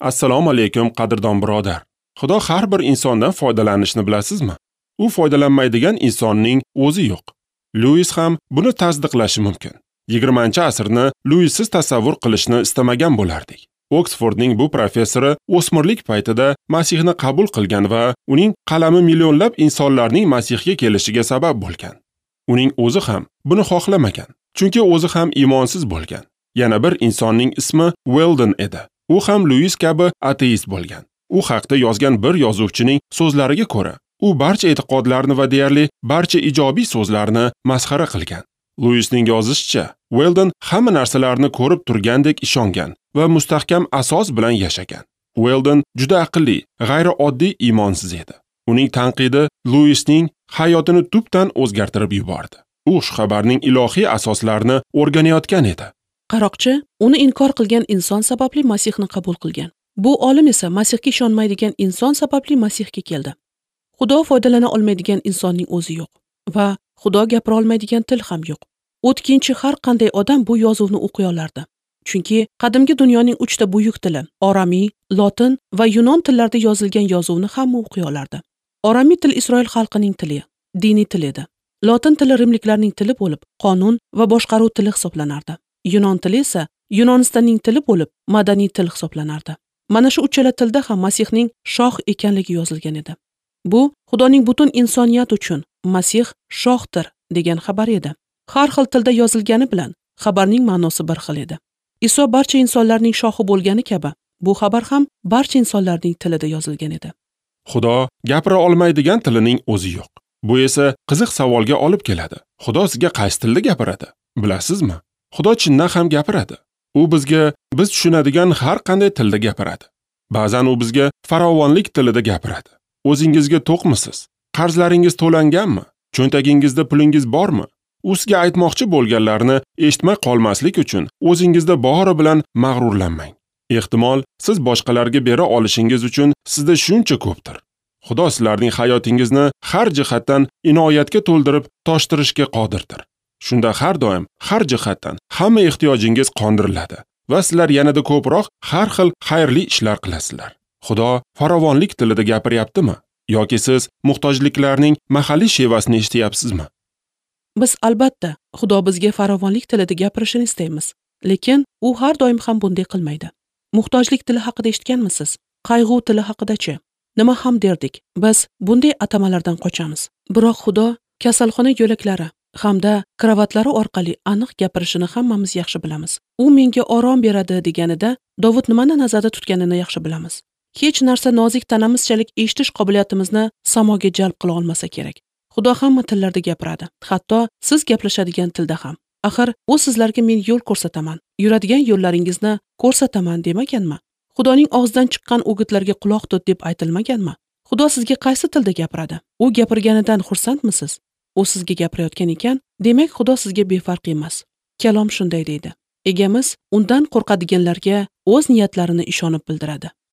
Assalomu alaykum, qadrdon birodar. Xudo har bir insondan foydalanishni bilasizmi? U foydalanmaydigan insonning o'zi yo'q. Lewis ham buni tasdiqlashi mumkin. 20-asrni Lewissiz tasavvur qilishni istamagan bo'lardik. Oksfordning bu professori o'smirlik paytida Masihni qabul qilgan va uning qalami millionlab insonlarning Masihga kelishiga sabab bo'lgan. Uning o'zi ham buni xohlamagan, chunki o'zi ham iymonsiz bo'lgan. Yana bir insonning ismi Weldon edi. U ham Lewis kabi ateist bo'lgan. U haqda yozgan bir yozuvchining so'zlariga ko'ra, u barcha e'tiqodlarni va deyarli barcha ijobiy so'zlarni masxara qilgan. Lewisning yozishicha, Weldon hamma narsalarni ko'rib turgandek ishongan va mustahkam asos bilan yashagan. Weldon juda aqlli, g'ayrioddiy iymonsiz edi. Uning tanqidi Lewisning hayotini tubdan o'zgartirib yubordi. U xushxabarning ilohiy asoslarini o'rganayotgan edi. Qaroqchi uni inkor qilgan inson sababli Masihni qabul qilgan. Bu olim esa Masihga ishonmaydigan inson sababli Masihga keldi. Xudo foydalana olmaydigan insonning o'zi yo'q va Xudo gapira olmaydigan til ham yo'q. O'tkinchi har qanday odam bu yozuvni o'qiy olardi. Chunki qadimgi dunyoning 3 ta buyuk tili, oramiy, lotin va yunon tillarida yozilgan yozuvni hamma o'qiy olardi. Oramiy til Isroil xalqining tili, diniy til edi. Lotin tili rimliklarning tili bo'lib, qonun va boshqaruv tili hisoblanardi. Yunon tili esa Yunonistonning tili bo'lib, madaniy til hisoblanardi. Mana shu uchala tilda ham Masihning shoh ekanligi yozilgan edi. Bu Xudoning butun insoniyat uchun Masih shohdir degan xabar edi. Har xil tilda yozilgani bilan xabarning ma'nosi bir xil edi. Iso barcha insonlarning shohi bo'lgani kabi, bu xabar ham barcha insonlarning tilida yozilgan edi. Xudo gapira olmaydigan tilining o'zi yo'q. Bu esa qiziq savolga olib keladi. Xudo sizga qaysi tilda gapiradi? Bilasizmi? Xudo chindan ham gapiradi. U bizga biz tushunadigan har qanday tilda gapiradi. Ba'zan u bizga farovonlik tilida gapiradi. O'zingizga to'qmisiz? Qarzlaringiz to'langanmi? Cho'ntagingizda pulingiz bormi? U sizga aytmoqchi bo'lganlarni eshitmay qolmaslik uchun o'zingizda bori bilan mag'rurlanmang. Ehtimol, siz boshqalarga bera olishingiz uchun sizda shuncha ko'pdir. Xudo sizlarning hayotingizni har jihatdan inoyatga to'ldirib toshtirishga qodirdir. Shunda har doim, har jihatdan hamma ehtiyojingiz qondiriladi va sizlar yanada ko'proq har xil xayrli ishlar qilasizlar. Xudo farovonlik tilida gapiryaptimi? Yoki siz muhtojliklarning mahalliy shevasini eshityapsizmi? Biz albatta Xudo bizga farovonlik tilida gapirishini istaymiz, lekin u har doim ham bunday qilmaydi. Muhtojlik tili haqida eshitganmisiz? Qayg'u tili haqida-chi? Nima ham derdik? Biz bunday atamalardan qochamiz. Biroq Xudo kasalxona yo'laklari hamda kravatlari orqali aniq gapirishini hammamiz yaxshi bilamiz. U menga orom beradi deganida Dovud nimani nazarda tutganini yaxshi bilamiz. Hech narsa nozik tanamizchalik eshitish qobiliyatimizni samoga jalb qila olmasa kerak. Xudo hamma tillarda gapiradi, hatto siz gaplashadigan tilda ham. Axir u sizlarga men yo'l ko'rsataman, yuradigan yo'llaringizni ko'rsataman demaganmi? Xudoning og'zidan chiqqan o'gitlarga quloq tut deb aytilmaganmi? Xudo sizga qaysi tilda gapiradi? U gapirganidan xursandmisiz? U sizga gapirayotgan ekan, demak Xudo sizga befarq emas. Kalom shunday deydi: Egamiz undan qo'rqadiganlarga o'z niyatlarini ishonib bildiradi.